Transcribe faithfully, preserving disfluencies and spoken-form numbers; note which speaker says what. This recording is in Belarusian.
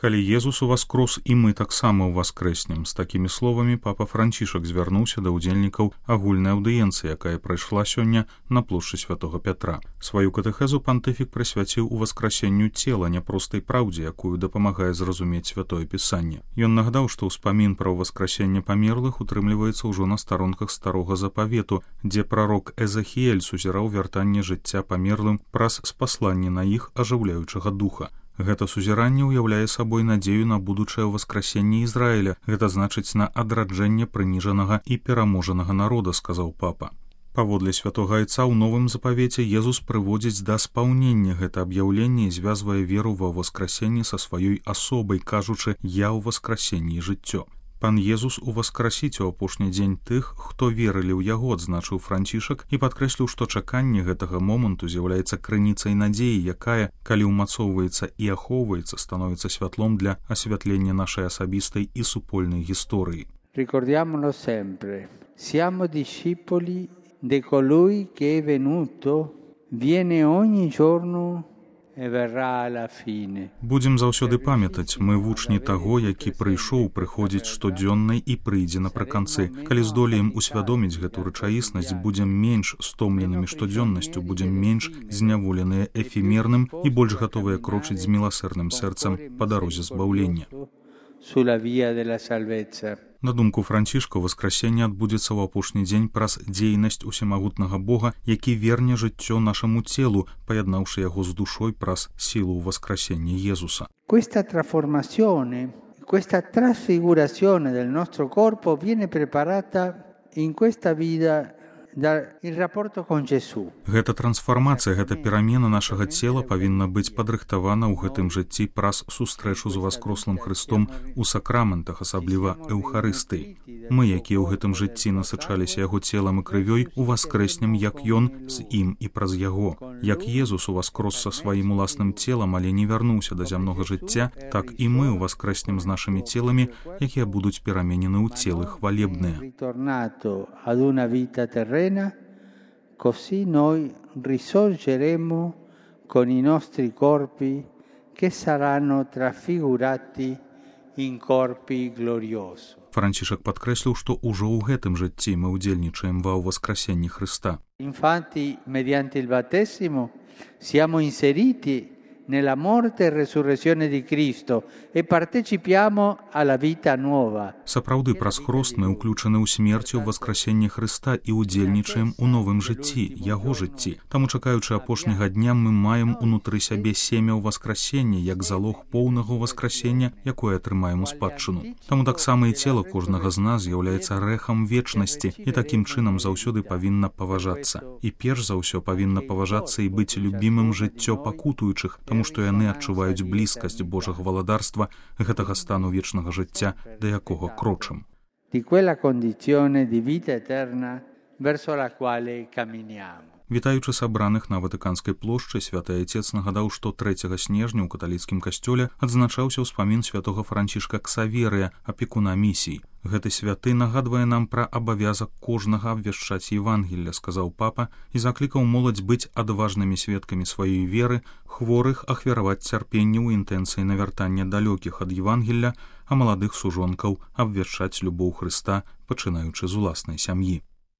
Speaker 1: Калі Езус уваскрос, і мы таксама ўваскрэснем. З такімі словамі папа Францішак звярнуўся да ўдзельнікаў агульнай аўдыенцыі, якая прайшла сёння на плошчы Святога Пятра. Сваю катэхезу пантыфік прысвяціў уваскрасенню цела, няпростай праўдзе, якую дапамагае зразумець Святое Пісанне. Ён нагадаў, што ўспамін пра ўваскрасенне памерлых утрымліваецца ўжо на старонках старога запавету, дзе прарок Эзахіэль сузіраў вяртанне жыцця памерлым праз спасланне на іх ажыўляючага духа. Гэта сузіранне ўяўляе сабой надзею на будучае ўваскрасенне Ізраіля, гэта значыць на адраджэнне прыніжанага і пераможанага народа, сказаў папа. Паводле святога айца ў новым запавеце Езус прыводзіць да спаўнення гэта аб'яўленне і звязвае веру ва ўваскрасенне са сваёй асобай, кажучы «Я ў васкрасенні і жыццё». Пан Езус уваскрасіць у апошні дзень тых, хто верылі ў яго, адзначыў Францішак і падкрэсліў, што чаканне гэтага моманту з'яўляецца крыніцай надзеі, якая, калі ўмацоўваецца і ахоўваецца, становіцца святлом для асвятлення нашай асабістай і супольнай гісторыі.
Speaker 2: Ricordiamolo sempre, siamo discepoli di colui che è venuto, viene ogni giorno e verrà alla fine.
Speaker 1: Будзем заўсёды памятаць, мы вучні таго, які прыйшоў, прыходзіць штодзённа і прыйдзе напрыканцы. Калі здолеем усвядоміць гэту рэчаіснасць, будзем менш стомленымі штодзённасцю, будзем менш зняволеныя эфемерным і больш гатовыя крочыць з міласэрным сэрцам па дарозе збаўлення.
Speaker 2: Sulla via della salvezza.
Speaker 1: На думку Францішка, васкрасенне адбудзецца ў апошні дзень праз дзейнасць усемагутнага Бога, які верне жыццё нашаму целу, паяднаўшы яго з душой праз сілу ўваскрасення Езуса.
Speaker 2: Questa trasformazione, questa trasfigurazione del nostro corpo viene preparata in questa vita dal rapporto con Gesù.
Speaker 1: Гэта трансфармацыя, гэта перамена нашага цела павінна быць падрыхтавана ў гэтым жыцці праз сустрэчу з уваскрослым Христом у сакраментах, асабліва эўхарыстыі. Мы, якія ў гэтым жыцці насычаліся яго целам і крывёй, уваскрэснем, як ён з ім і праз яго. Як Езус уваскрос са сваім уласным целам, але не вярнуўся да зямнога жыцця, так і мы уваскрэснем з нашымі целамі, якія будуць пераменены ў целы хвалебныя.
Speaker 2: Così noi risorgeremo con i nostri corpi che saranno trasfigurati in corpi gloriosi.
Speaker 1: Францішак падкрэсліў, што ўжо ў гэтым жыцці мы ўдзельнічаем ва ўваскрасенні Христа.
Speaker 2: Infatti, mediante il battesimo siamo inseriti nella morte e resurrezione di Cristo e partecipiamo alla vita nuova.
Speaker 1: Сапраўды, праз хрост мы ўключаны ў смерць і ў васкрасенне Христа і ўдзельнічаем у новым жыцці, яго жыцці. Таму, чакаючы апошняга дня, мы маем унутры сябе семя ў васкрасення, як залог поўнага васкрасення, якое атрымаем у спадчыну. Таму таксама і цела кожнага з нас з'яўляецца рэхам вечнасці і такім чынам заўсёды павінна паважацца. І перш за ўсё павінна паважацца і быць любімым жыццё пакутуючых, таму што яны адчуваюць блізкасць Божага валадарства, гэтага стану вечнага жыцця, да якога крочым.
Speaker 2: Di quella condizione di vita eterna verso la quale camminiamo.
Speaker 1: Вітаючы сабраных на Ватыканскай плошчы, святы айцец нагадаў, што трэцяга снежня ў каталіцкім касцёле адзначаўся ўспамін святога Францішка Ксаверыя, апекуна місій. Гэты святы нагадвае нам пра абавязак кожнага абвяшчаць Евангелля, сказаў папа, і заклікаў моладзь быць адважнымі сведкамі сваёй веры, хворых ахвяраваць цярпенне ў інтэнцыі навяртання далёкіх ад Евангелля, а маладых сужонкаў абвяшчаць любоў Хрыста, пачынаючы з уласнай сям'і.